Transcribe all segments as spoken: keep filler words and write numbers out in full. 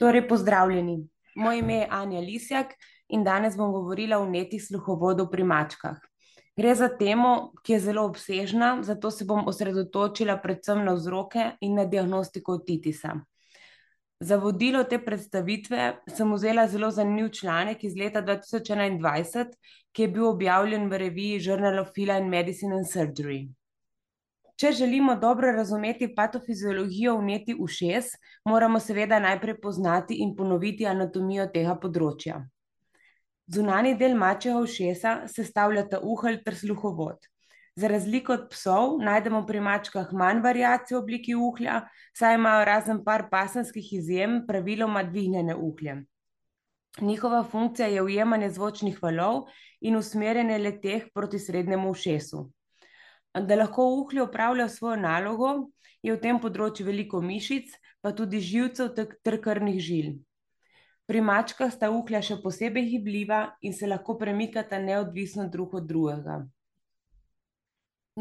Torej, pozdravljeni. Moje ime je Anja Lisjak in danes bom govorila o vnetih sluhovodov pri mačkah. Gre za temo, ki je zelo obsežna, zato se bom osredotočila predvsem na vzroke in na diagnostiko otitisa. Za vodilo te predstavitve sem vzela zelo zanimiv članek iz leta dva tisoč enaindvajset, ki je bil objavljen v reviji Journal of Feline Medicine and Surgery. Če želimo dobro razumeti patofiziologijo vnetij ušes, moramo seveda najprej poznati in ponoviti anatomijo tega področja. Zunanji del mačjega ušesa sestavljata uhelj ter sluhovod. Za razliko od psov najdemo pri mačkah manj variacij v obliki uhlja, saj imajo razen par pasemskih izjem praviloma dvignjene uhlje. Njihova funkcija je ujemanje zvočnih valov in usmerjanje le-teh proti srednjemu ušesu. Da lahko uhlje opravlja svojo nalogo, je v tem področju veliko mišic, pa tudi živcev ter krvnih žil. Pri mačkah sta uhlja še posebej gibljiva in se lahko premikata neodvisno drug od drugega.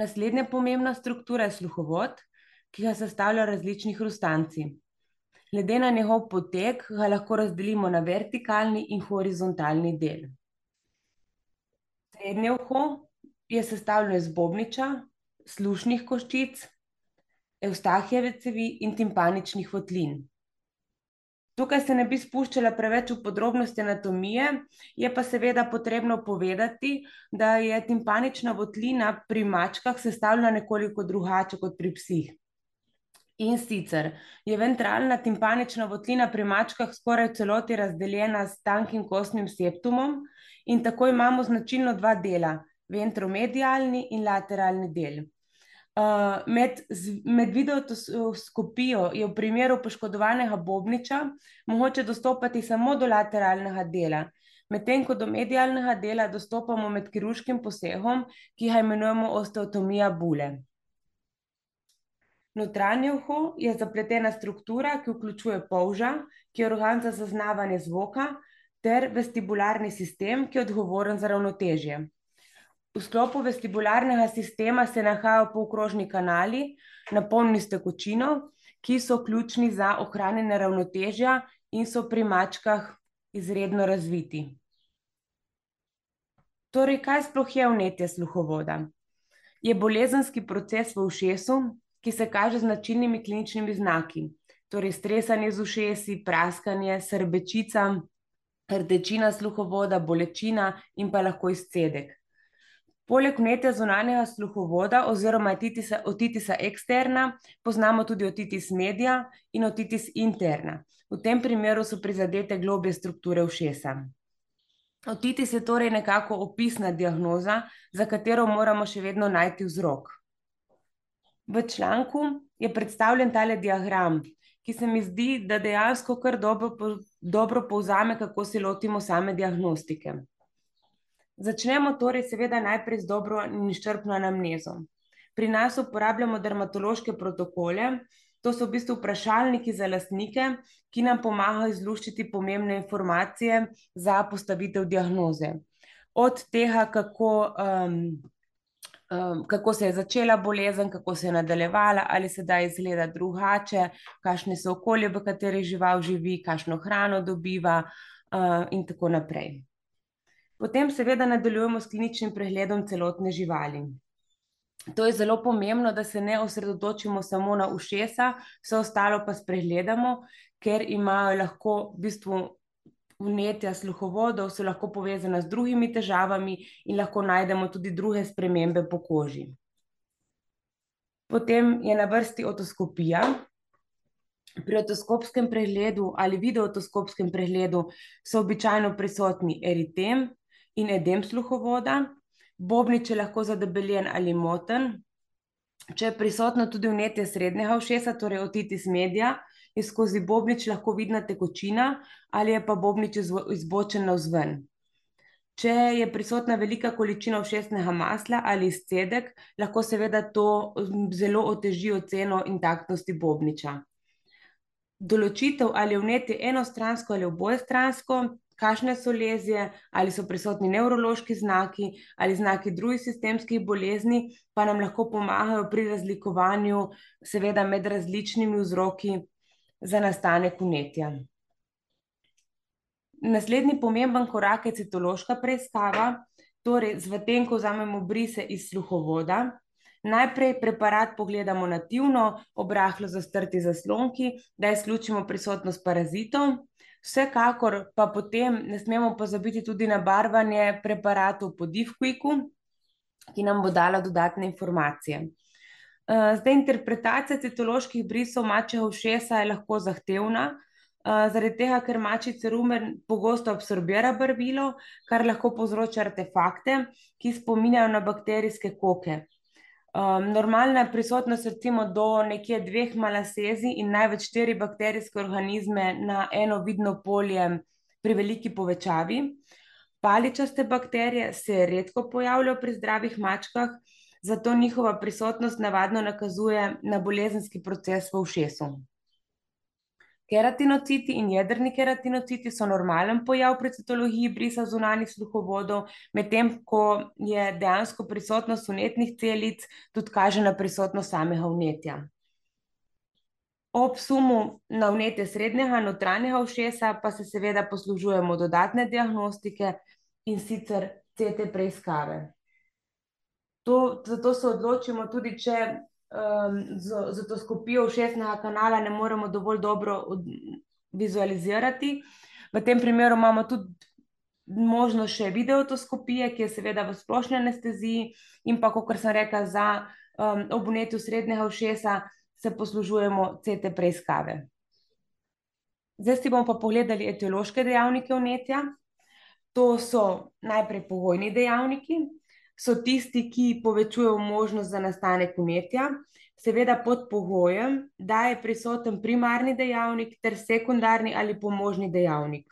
Naslednja pomembna struktura je sluhovod, ki ga sestavljajo različni hrustanci. Glede na njegov potek ga lahko razdelimo na vertikalni in horizontalni del. Srednje uho je sestavljeno iz bobniča, slušnih koščic, evstahijeve cevi in timpaničnih votlin. Tukaj se ne bi spuščala preveč v podrobnosti anatomije, je pa seveda potrebno povedati, da je timpanična votlina pri mačkah sestavljena nekoliko drugače kot pri psih. In sicer je ventralna timpanična votlina pri mačkah skoraj v celoti razdeljena s tankim kostnim septumom in tako imamo značilno dva dela, ventromedialni in lateralni del. Uh, med, med videotoskopijo je v primeru poškodovanega bobniča mogoče dostopati samo do lateralnega dela, medtem ko do medialnega dela dostopamo med kirurškim posegom, ki ga imenujemo osteotomija bule. Notranje uho je zapletena struktura, ki vključuje polža, ki je organ za zaznavanje zvoka, ter vestibularni sistem, ki je odgovoren za ravnotežje. V sklopu vestibularnega sistema se nahajajo polkrožni kanali, napolnjeni s tekočino, ki so ključni za ohranjanje ravnotežja in so pri mačkah izredno razviti. Torej, kaj sploh je vnetje sluhovoda? Je bolezenski proces v ušesu, ki se kaže z značilnimi kliničnimi znaki, torej stresanje z ušesi, praskanje, srbečica, rdečina sluhovoda, bolečina in pa lahko izcedek. Poleg vnetja zunanjega sluhovoda oziroma otitisa, otitisa eksterna poznamo tudi otitis media in otitis interna. V tem primeru so prizadete globlje strukture ušesa. Otitis je torej nekako opisna diagnoza, za katero moramo še vedno najti vzrok. V članku je predstavljen tale diagram, ki se mi zdi, da dejansko kar dobro, dobro povzame, kako se lotimo same diagnostike. Začnemo torej seveda najprej z dobro in izčrpno anamnezo. Pri nas uporabljamo dermatološke protokole, to so v bistvu vprašalniki za lastnike, ki nam pomagajo izluščiti pomembne informacije za postavitev diagnoze. Od tega, kako, um, um, kako se je začela bolezen, kako se je nadaljevala, ali sedaj izgleda drugače, kakšne so okolje, v kateri žival živi, kakšno hrano dobiva uh, in tako naprej. Potem seveda nadaljujemo s kliničnim pregledom celotne živali. To je zelo pomembno, da se ne osredotočimo samo na ušesa, vse ostalo pa spregledamo, ker imajo lahko v bistvu vnetja sluhovodov, so lahko povezana z drugimi težavami in lahko najdemo tudi druge spremembe po koži. Potem je na vrsti otoskopija. Pri otoskopskem pregledu ali videootoskopskem pregledu so običajno prisotni eritem in edem sluhovoda, bobnič je lahko zadebeljen ali moten. Če je prisotno tudi vnetje srednjega ušesa, torej otitis media, je skozi bobnič lahko vidna tekočina ali je pa bobnič izbočen navzven. Če je prisotna velika količina ušesnega masla ali izcedek, lahko seveda to zelo oteži oceno intaktnosti bobniča. Določitev, ali je vnetje enostransko ali obojestransko, kakšne so lezije, ali so prisotni nevrološki znaki ali znaki drugih sistemskih bolezni, pa nam lahko pomagajo pri razlikovanju seveda med različnimi vzroki za nastanek vnetja. Naslednji pomemben korak je citološka preiskava, torej z tem, ko vzamemo brise iz sluhovoda. Najprej preparat pogledamo nativno, ob rahlo zastrti zaslonki, da izključimo prisotnost parazitov. Vsekakor pa potem ne smemo pozabiti tudi na barvanje preparatov po Diffquiku, ki nam bo dala dodatne informacije. Zdaj, interpretacija citoloških brisov mačjega ušesa je lahko zahtevna, zaradi tega, ker mačji cerumen pogosto absorbira barvilo, kar lahko povzroča artefakte, ki spominjajo na bakterijske koke. Um, normalna prisotnost recimo do nekje dveh malasezij in največ štiri bakterijske organizme na eno vidno polje pri veliki povečavi. Paličaste bakterije se redko pojavljajo pri zdravih mačkah, zato njihova prisotnost navadno nakazuje na bolezenski proces v ušesu. Keratinociti in jedrni keratinociti so normalen pojav pri citologiji brisa zunanjih sluhovodov, medtem ko je dejansko prisotnost vnetnih celic tudi kaže na prisotnost samega vnetja. Ob sumu na vnetje srednjega in notranjega ušesa pa se seveda poslužujemo dodatne diagnostike, in sicer C T preiskave. To, zato se odločimo tudi, če um, z, z otoskopijo ušesnega kanala ne moremo dovolj dobro od, vizualizirati. V tem primeru imamo tudi možnost še videootoskopije, ki je seveda v splošni anesteziji, in pa, kot sem rekla, za um, ob vnetju srednjega ušesa se poslužujemo C T preiskave. Zdaj si bomo pa pogledali etiološke dejavnike vnetja. To so najprej pogojni dejavniki, so tisti, ki povečujejo možnost za nastanek vnetja, seveda pod pogojem, da je prisoten primarni dejavnik ter sekundarni ali pomožni dejavnik.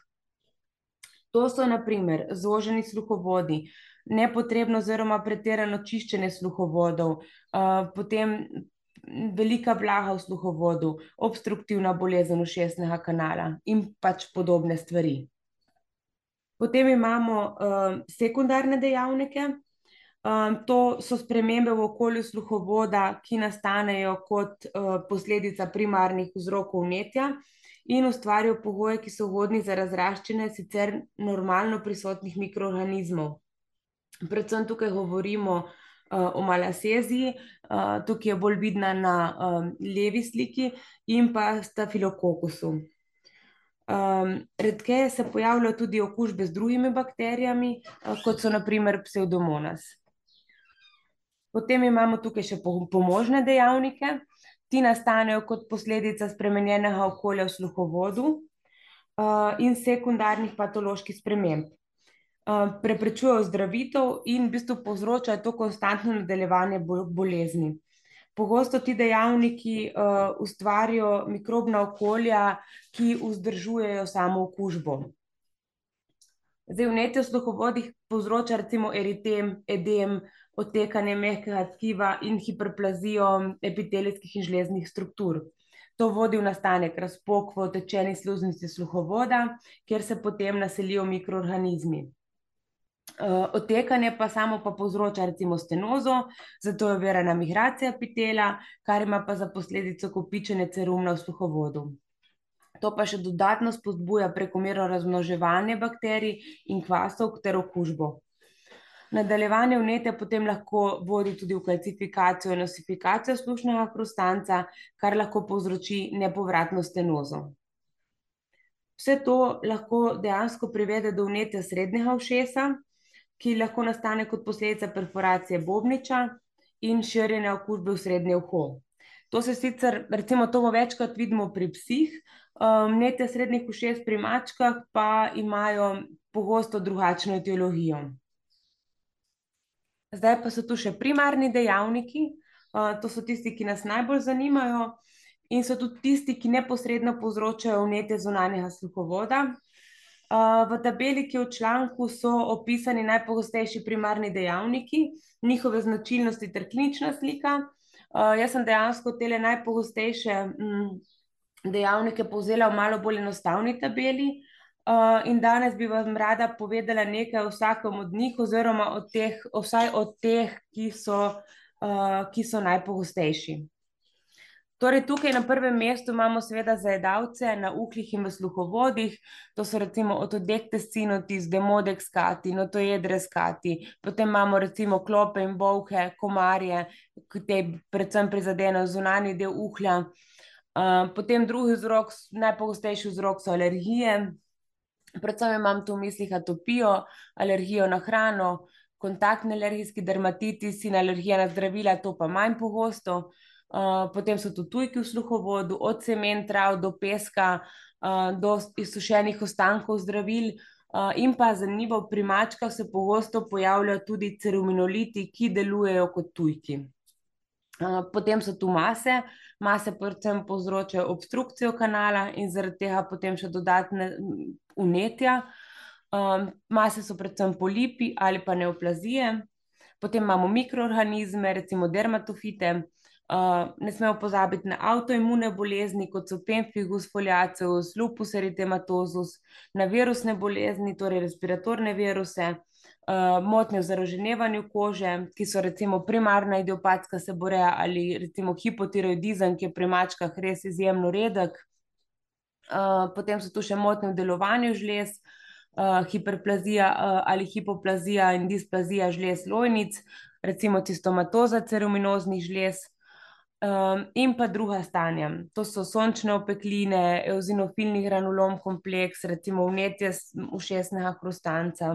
To so na primer zoženi sluhovodi, nepotrebno oziroma pretirano čiščenje sluhovodov, uh, potem velika vlaga v sluhovodu, obstruktivna bolezen ušesnega kanala in pač podobne stvari. Potem imamo uh, sekundarne dejavnike. Um, to so spremembe v okolju sluhovoda, ki nastanejo kot uh, posledica primarnih vzrokov vnetja in ustvarijo pogoje, ki so ugodni za razraščanje sicer normalno prisotnih mikroorganizmov. Predvsem tukaj govorimo uh, o malaseziji, uh, tukaj je bolj vidna na um, levi sliki, in pa stafilokokusu. Um, redkeje se pojavljajo tudi okužbe z drugimi bakterijami, uh, kot so na primer pseudomonas. Potem imamo tukaj še pomožne dejavnike. Ti nastanejo kot posledica spremenjenega okolja v sluhovodu uh, in sekundarnih patoloških sprememb. Uh, preprečujejo ozdravitev in v bistvu povzročajo to konstantno nadaljevanje bolezni. Pogosto ti dejavniki uh, ustvarijo mikrobna okolja, ki vzdržujejo samo okužbo. Zdaj, vnetje v sluhovodih povzroča recimo eritem, edem, odtekanje mehkega tkiva in hiperplazijo epitelijskih in žleznih struktur. To vodi v nastanek razpok v otečeni sluznici sluhovoda, kjer se potem naselijo mikroorganizmi. Uh, odtekanje pa samo pa povzroča recimo stenozo, zato je ovirana migracija epitela, kar ima pa za posledico kopičenje cerumna v sluhovodu. To pa še dodatno spodbuja prekomerno razmnoževanje bakterij in kvasov ter okužbo. Nadaljevanje vnetja potem lahko vodi tudi v kalcifikacijo in osifikacijo slušnega hrustanca, kar lahko povzroči nepovratno stenozo. Vse to lahko dejansko privede do vnetja srednjega ušesa, ki lahko nastane kot posledica perforacije bobniča in širjenja okužbe v srednje uho. To se sicer, recimo to večkrat vidimo pri psih, vnetja srednjih ušes pri mačkah pa imajo pogosto drugačno etiologijo. Zdaj pa so tu še primarni dejavniki, to so tisti, ki nas najbolj zanimajo in so tudi tisti, ki neposredno povzročajo vnetje zunanjega sluhovoda. V tabeli, ki je v članku, so opisani najpogostejši primarni dejavniki, njihove značilnosti ter klinična slika. Jaz sem dejansko tele najpogostejše dejavnike povzela v malo bolj enostavni tabeli in danes bi vam rada povedala nekaj o vsakem od njih oziroma od teh, vsaj od teh, ki so, ki so najpogostejši. Torej, tukaj na prvem mestu imamo seveda zajedavce na uhlih in v sluhovodih, to so recimo Otodectes cynotis, Demodex cati, Notoedres cati, potem imamo recimo klope in bolhe, komarje, ki te predvsem prizadenejo zunanji del uhlja. Uh, potem drugi vzrok, najpogostejši vzrok so alergije, predvsem imam tu v mislih atopijo, alergijo na hrano, kontaktni alergijski dermatitis in alergija na zdravila, to pa manj pogosto. Uh, potem so tu tujki v sluhovodu, od semen trav do peska, uh, do izsušenih ostankov zdravil. Uh, in pa zanimivo, pri mačkah se pogosto pojavljajo tudi ceruminoliti, ki delujejo kot tujki. Uh, potem so tu mase, mase predvsem povzročajo obstrukcijo kanala in zaradi tega potem še dodatne vnetja. Um, mase so predvsem polipi ali pa neoplazije. Potem imamo mikroorganizme, recimo dermatofite. Uh, ne smemo pozabiti na avtoimune bolezni, kot so pemphigus foliaceus, lupus eritematosus, na virusne bolezni, torej respiratorne viruse, uh, motnje v zaraženevanju kože, ki so recimo primarna idiopatska seboreja ali recimo hipotiroidizem, ki je pri mačkah res izjemno redek. Uh, potem so tu še motnje v delovanju žlez, uh, hiperplazija uh, ali hipoplazija in displazija žlez lojnic, recimo cistomatoza ceruminoznih žlez. Um, in pa druga stanja, to so sončne opekline, eozinofilni granulom kompleks, recimo vnetje ušesnega hrustanca.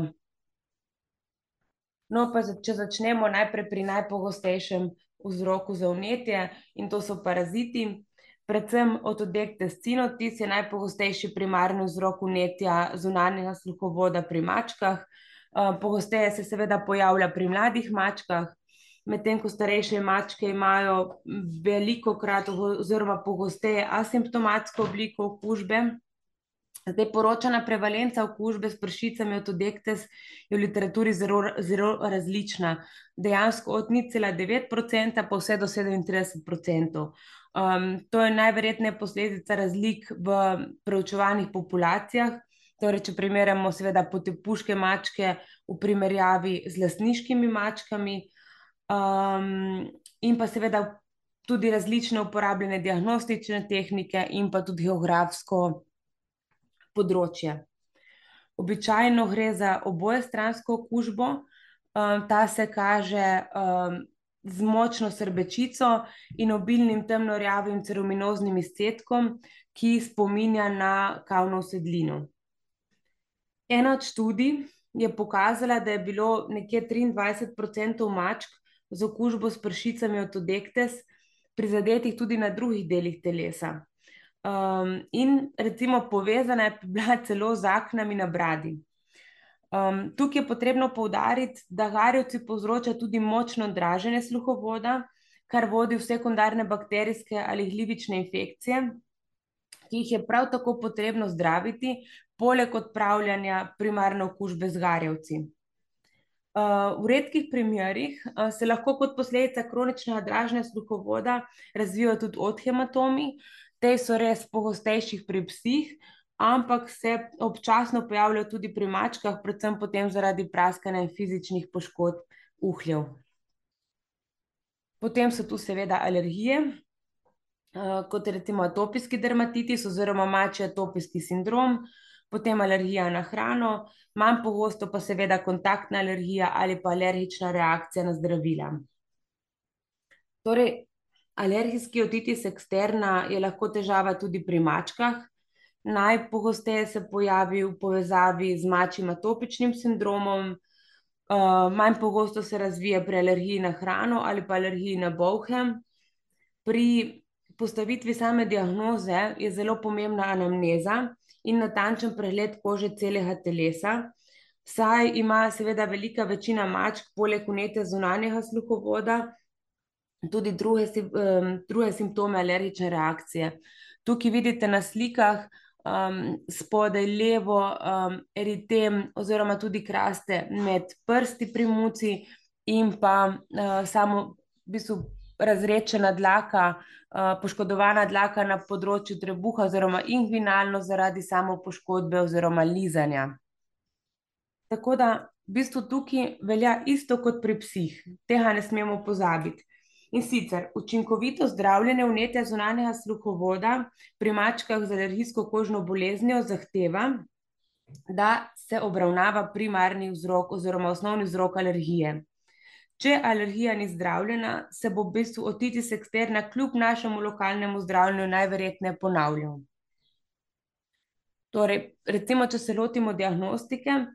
No, pa če začnemo najprej pri najpogostejšem vzroku za vnetje, in to so paraziti. Predvsem Otodectes cynotis je najpogostejši primarni vzrok vnetja zunanjega sluhovoda pri mačkah. Uh, pogosteje se seveda pojavlja pri mladih mačkah, medtem ko starejše mačke imajo velikokrat oziroma pogosteje asimptomatsko obliko okužbe. Zdaj, poročana prevalenca okužbe s pršicami Otodectes je v literaturi zelo, zelo različna. Dejansko od nič cela devet procenta pa vse do sedemintrideset procentov. Um, to je najverjetneje posledica razlik v preučevanih populacijah. Torej, če primerjamo seveda potepuške mačke v primerjavi z lastniškimi mačkami, um, in pa seveda tudi različne uporabljene diagnostične tehnike in pa tudi geografsko področje. Običajno gre za obojestransko okužbo, um, ta se kaže um, z močno srbečico in obilnim temnorjavim ceruminoznim izcedkom, ki spominja na kavno usedlino. Ena od študij je pokazala, da je bilo nekje triindvajset procentov mačk z okužbo s pršicami Otodectes prizadetih tudi na drugih delih telesa. Um, in recimo povezana je bila celo z aknami na bradi. Um, tukaj je potrebno poudariti, da garjevci povzroča tudi močno draženje sluhovoda, kar vodi v sekundarne bakterijske ali glivične infekcije, ki jih je prav tako potrebno zdraviti, poleg odpravljanja primarne okužbe z garjevci. Uh, v redkih primerih uh, se lahko kot posledica kroničnega draženja sluhovoda razvijajo tudi odhematomi. Te so res pogostejših pri psih, ampak se občasno pojavljajo tudi pri mačkah, predvsem potem zaradi praskanja in fizičnih poškodb uhljev. Potem so tu seveda alergije, uh, kot je recimo atopijski dermatitis oziroma mačji atopijski sindrom, potem alergija na hrano, manj pogosto pa seveda kontaktna alergija ali pa alergična reakcija na zdravila. Torej, alergijski otitis eksterna je lahko težava tudi pri mačkah. Najpogosteje se pojavi v povezavi z mačjim atopičnim sindromom, uh, manj pogosto se razvije pri alergiji na hrano ali pa alergiji na bolhe. Pri postavitvi same diagnoze je zelo pomembna anamneza in natančen pregled kože celega telesa, saj ima seveda velika večina mačk poleg vnetja zunanjega sluhovoda tudi druge, um, druge simptome alergične reakcije. Tukaj vidite na slikah um, spodaj levo um, eritem oziroma tudi kraste med prsti pri muci in pa uh, samo v bistvu razredčena dlaka, uh, poškodovana dlaka na področju trebuha oziroma inguinalno zaradi samo poškodbe oziroma lizanja. Tako da v bistvu tukaj velja isto kot pri psih, tega ne smemo pozabiti. In sicer učinkovito zdravljenje vnetja zunanjega sluhovoda pri mačkah z alergijsko kožno boleznijo zahteva, da se obravnava primarni vzrok oziroma osnovni vzrok alergije. Če alergija ni zdravljena, se bo v bistvu otitis eksterna kljub našemu lokalnemu zdravljenju najverjetneje ponavljal. Torej, recimo, če se lotimo diagnostike,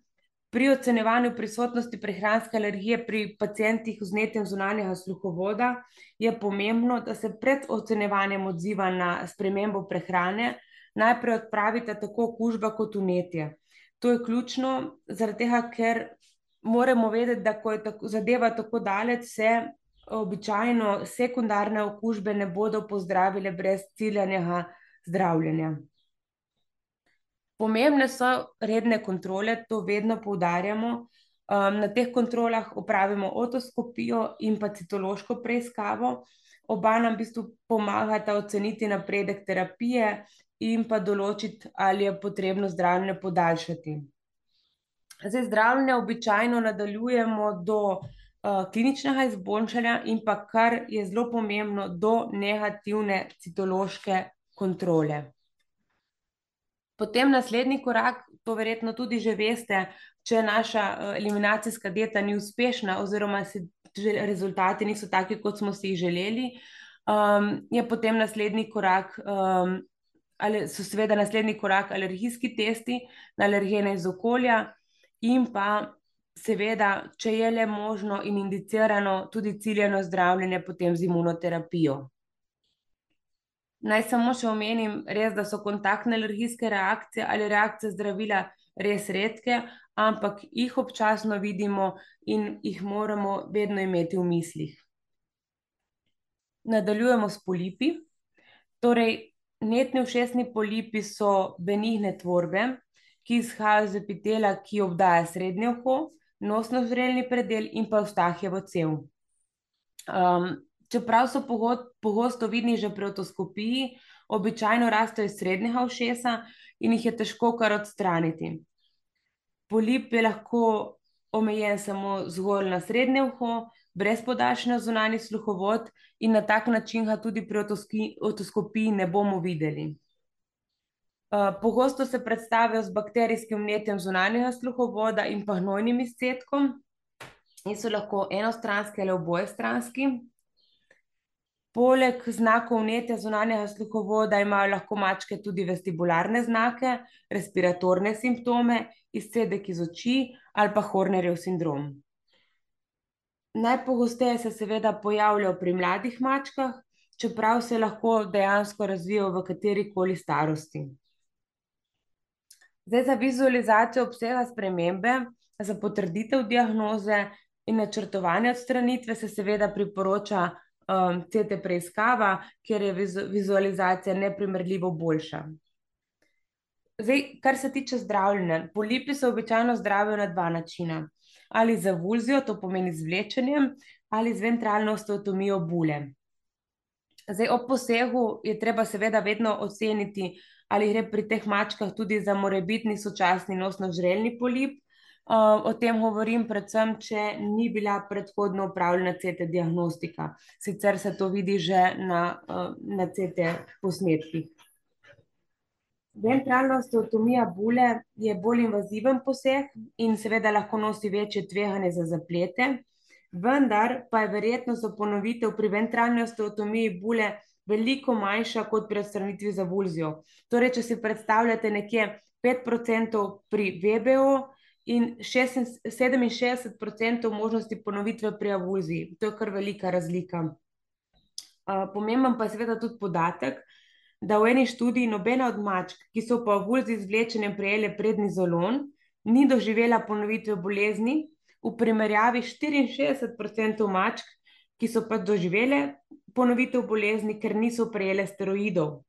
pri ocenjevanju prisotnosti prehranske alergije pri pacientih z vnetjem zunanjega sluhovoda je pomembno, da se pred ocenjevanjem odziva na spremembo prehrane najprej odpravita tako okužba kot vnetje. To je ključno, zaradi tega, ker moramo vedeti, da ko je tako, zadeva tako daleč, se običajno sekundarne okužbe ne bodo pozdravile brez ciljanega zdravljenja. Pomembne so redne kontrole, to vedno poudarjamo. Na teh kontrolah opravimo otoskopijo in pa citološko preiskavo. Oba nam v bistvu pomagata oceniti napredek terapije in pa določiti, ali je potrebno zdravljenje podaljšati. Zdaj, zdravljenje običajno nadaljujemo do uh, kliničnega izboljšanja in pa, kar je zelo pomembno, do negativne citološke kontrole. Potem naslednji korak, to verjetno tudi že veste, če naša eliminacijska dieta ni uspešna oziroma se rezultati niso taki, kot smo si jih želeli, um, je potem naslednji korak, um, ali so seveda naslednji korak alergijski testi na alergene iz okolja in pa seveda, če je le možno in indicirano, tudi ciljano zdravljenje potem z imunoterapijo. Naj samo še omenim res, da so kontaktne alergijske reakcije ali reakcije zdravila res redke, ampak jih občasno vidimo in jih moramo vedno imeti v mislih. Nadaljujemo s polipi. Torej, vnetni ušesni polipi so benigne tvorbe, ki izhajajo iz epitela, ki obdaja srednje uho, nosno-žrelni predel in pa Eustachievo cev. Um, Čeprav so pogosto vidni že pri otoskopiji, običajno rastejo iz srednjega ušesa in jih je težko kar odstraniti. Polip je lahko omejen samo zgolj na srednje uho, brez podaljšanja zunanji sluhovod in na tak način ga tudi pri otoskopiji ne bomo videli. Uh, pogosto se predstavijo z bakterijskim vnetjem zunanjega sluhovoda in pa gnojnim izcedkom in so lahko enostranski ali obojestranski. Poleg znakov vnetja zunanjega sluhovoda imajo lahko mačke tudi vestibularne znake, respiratorne simptome, izcedek iz oči ali pa Hornerjev sindrom. Najpogosteje se seveda pojavljajo pri mladih mačkah, čeprav se lahko dejansko razvijajo v katerikoli starosti. Zdaj, za vizualizacijo obsega spremembe, za potrditev diagnoze in načrtovanje odstranitve se seveda priporoča Um, C T preiskava, kjer je vizu, vizualizacija neprimerljivo boljša. Zdaj, kar se tiče zdravljenja, polipi se običajno zdravijo na dva načina. Ali z avulzijo, to pomeni z vlečenjem, ali z ventralno osteotomijo bule. Zdaj, ob posegu je treba seveda vedno oceniti, ali gre pri teh mačkah tudi za morebitni sočasni nosno-žrelni polip. Uh, o tem govorim predvsem, če ni bila predhodno upravljena C T diagnostika. Sicer se to vidi že na, uh, na C T posnetkih. Ventralna osteotomija bule je bolj invaziven poseg in seveda lahko nosi večje tveganje za zaplete, vendar pa je verjetnost za ponovitev pri ventralni osteotomiji bule veliko manjša kot pri odstranitvi z avulzijo. Torej, če si predstavljate nekje pet procentov pri V B O in sedeminšestdeset procentov možnosti ponovitve pri avulziji. To je kar velika razlika. Uh, pomemben pa je seveda tudi podatek, da v eni študiji nobena od mačk, ki so po avulziji z vlečenjem prejele prednizolon, ni doživela ponovitve bolezni, v primerjavi štiriinšestdeset procentov mačk, ki so pa doživele ponovitev bolezni, ker niso prejele steroidov,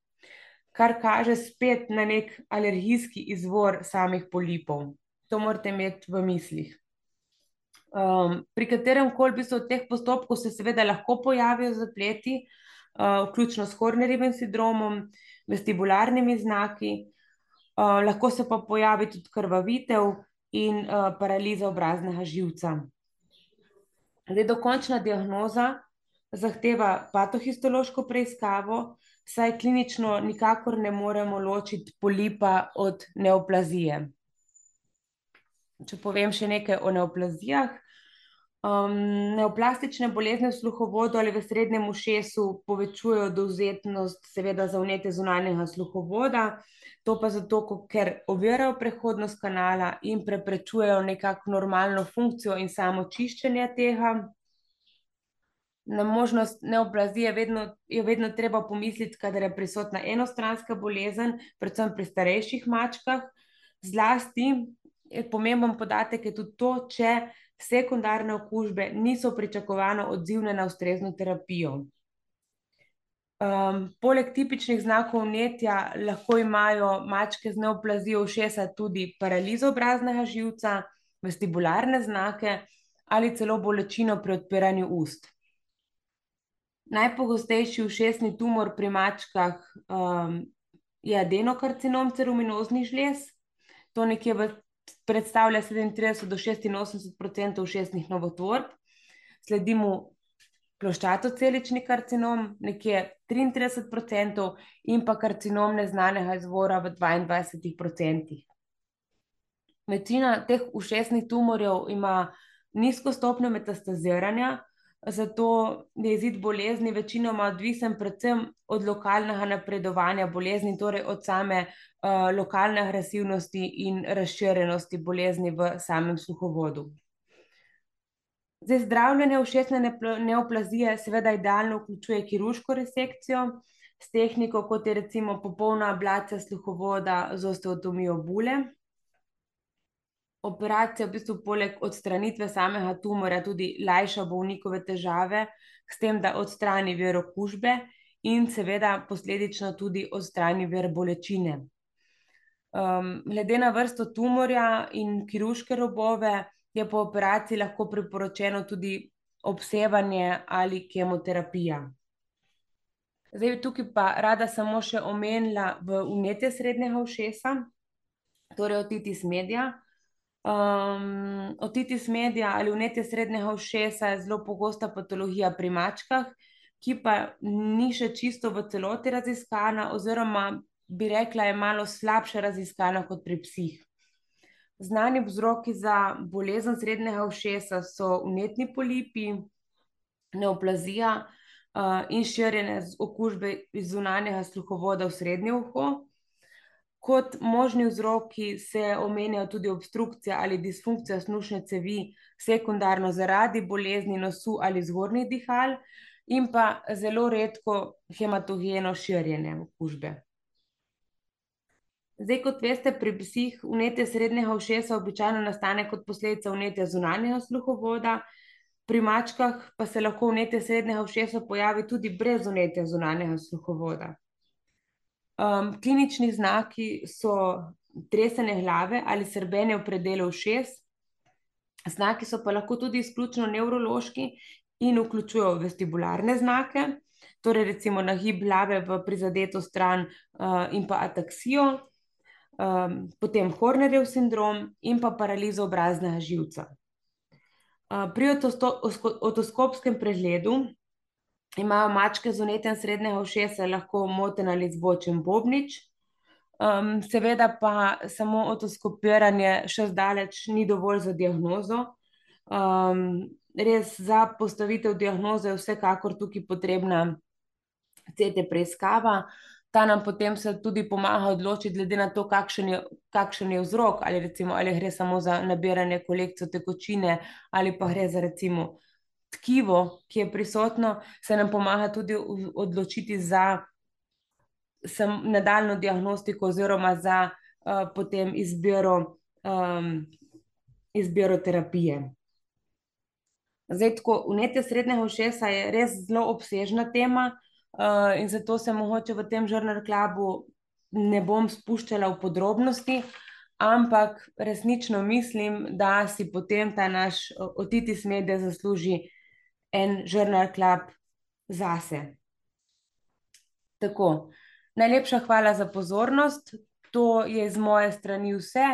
kar kaže spet na nek alergijski izvor samih polipov. To morate imeti v mislih. Um, pri katerem koli v bistvu od teh postopkov se seveda lahko pojavijo zapleti, uh, vključno s Hornerjevim sindromom, vestibularnimi znaki, uh, lahko se pa pojavi tudi krvavitev in uh, paraliza obraznega živca. Zdaj, dokončna diagnoza zahteva patohistološko preiskavo, saj klinično nikakor ne moremo ločiti polipa od neoplazije. Če povem še nekaj o neoplazijah. Um, neoplastične bolezni v sluhovodu ali v srednjem ušesu povečujejo dovzetnost seveda za vnetje zunanjega sluhovoda, to pa zato, ker ovirajo prehodnost kanala in preprečujejo nekako normalno funkcijo in samo čiščenje tega. Na možnost neoplazije vedno, je vedno treba pomisliti, kadar je prisotna enostranska bolezen, predvsem pri starejših mačkah. Zlasti je pomemben podatek je tudi to, če sekundarne okužbe niso pričakovano odzivne na ustrezno terapijo. Um, poleg tipičnih znakov vnetja lahko imajo mačke z neoplazijo ušesa tudi paralizo obraznega živca, vestibularne znake ali celo bolečino pri odpiranju ust. Najpogostejši ušesni tumor pri mačkah um, je adenokarcinom ceruminoznih žlez. To nekje v, predstavlja sedemintrideset do šestinosemdeset procentov ušesnih novotvorb. Sledi mu ploščatocelični karcinom, nekje triintrideset procentov, in pa karcinom neznanega izvora v dvaindvajsetih procentih. Večina teh ušesnih tumorjev ima nizko stopnjo metastaziranja, zato je izid bolezni večinoma odvisen predvsem od lokalnega napredovanja bolezni, torej od same uh, lokalne agresivnosti in razširjenosti bolezni v samem sluhovodu. Zdaj, zdravljenje ušesne neoplazije seveda idealno vključuje kirurško resekcijo s tehniko, kot je recimo popolna ablacija sluhovoda z osteotomijo bule. Operacija v bistvu poleg odstranitve samega tumorja tudi lajša bolnikove težave, s tem, da odstrani vir okužbe in seveda posledično tudi odstrani vir bolečine. Um, glede na vrsto tumorja in kirurške robove je po operaciji lahko priporočeno tudi obsevanje ali kemoterapija. Zdaj, tukaj pa rada samo še omenila v vnetje srednjega ušesa, torej otitis media. Um, otitis media ali vnetje srednjega ušesa je zelo pogosta patologija pri mačkah, ki pa ni še čisto v celoti raziskana, oziroma bi rekla, je malo slabše raziskana kot pri psih. Znani vzroki za bolezen srednjega ušesa so vnetni polipi, neoplazija uh, in širjenje okužbe iz zunanjega sluhovoda v srednje uho. Kot možni vzroki se omenjajo tudi obstrukcija ali disfunkcija snušne cevi, sekundarno zaradi bolezni nosu ali zgornjih dihal, in pa zelo redko hematogeno širjenje okužbe. Zdaj, kot veste, pri psih vnetje srednjega ušesa običajno nastane kot posledica vnetja zunanjega sluhovoda, pri mačkah pa se lahko vnetje srednjega ušesa pojavi tudi brez vnetja zunanjega sluhovoda. Um, klinični znaki so tresenje glave ali srbenje v predelu ušes. Znaki so pa lahko tudi izključno nevrološki in vključujejo vestibularne znake, torej recimo nagib glave v prizadeto stran uh, in pa ataksijo, um, potem Hornerjev sindrom in pa paralizo obraznega živca. Uh, pri otoskopskem pregledu imajo mačke z vnetjem srednjega ušesa lahko moten ali zvočen bobnič, um, seveda pa samo otoskopiranje še zdaleč ni dovolj za diagnozo. Um, res za postavitev diagnoze je vsekakor tukaj potrebna C T preiskava, ta nam potem se tudi pomaga odločiti glede na to, kakšen je, kakšen je vzrok, ali recimo ali gre samo za nabiranje kolekcijo tekočine ali pa gre za recimo tkivo, ki je prisotno, se nam pomaga tudi odločiti za nadaljnjo diagnostiko oziroma za uh, potem izbiro, um, izbiro terapije. Zdaj, tako, vnetje srednjega ušesa je res zelo obsežna tema uh, in zato se mogoče v tem Journal Clubu ne bom spuščala v podrobnosti, ampak resnično mislim, da si potem ta naš otitis media zasluži en Journal Club zase. Tako, najlepša hvala za pozornost, to je z moje strani vse.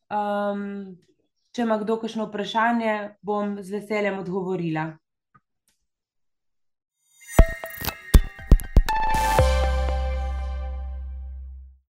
Um, če ima kdo kakšno vprašanje, bom z veseljem odgovorila.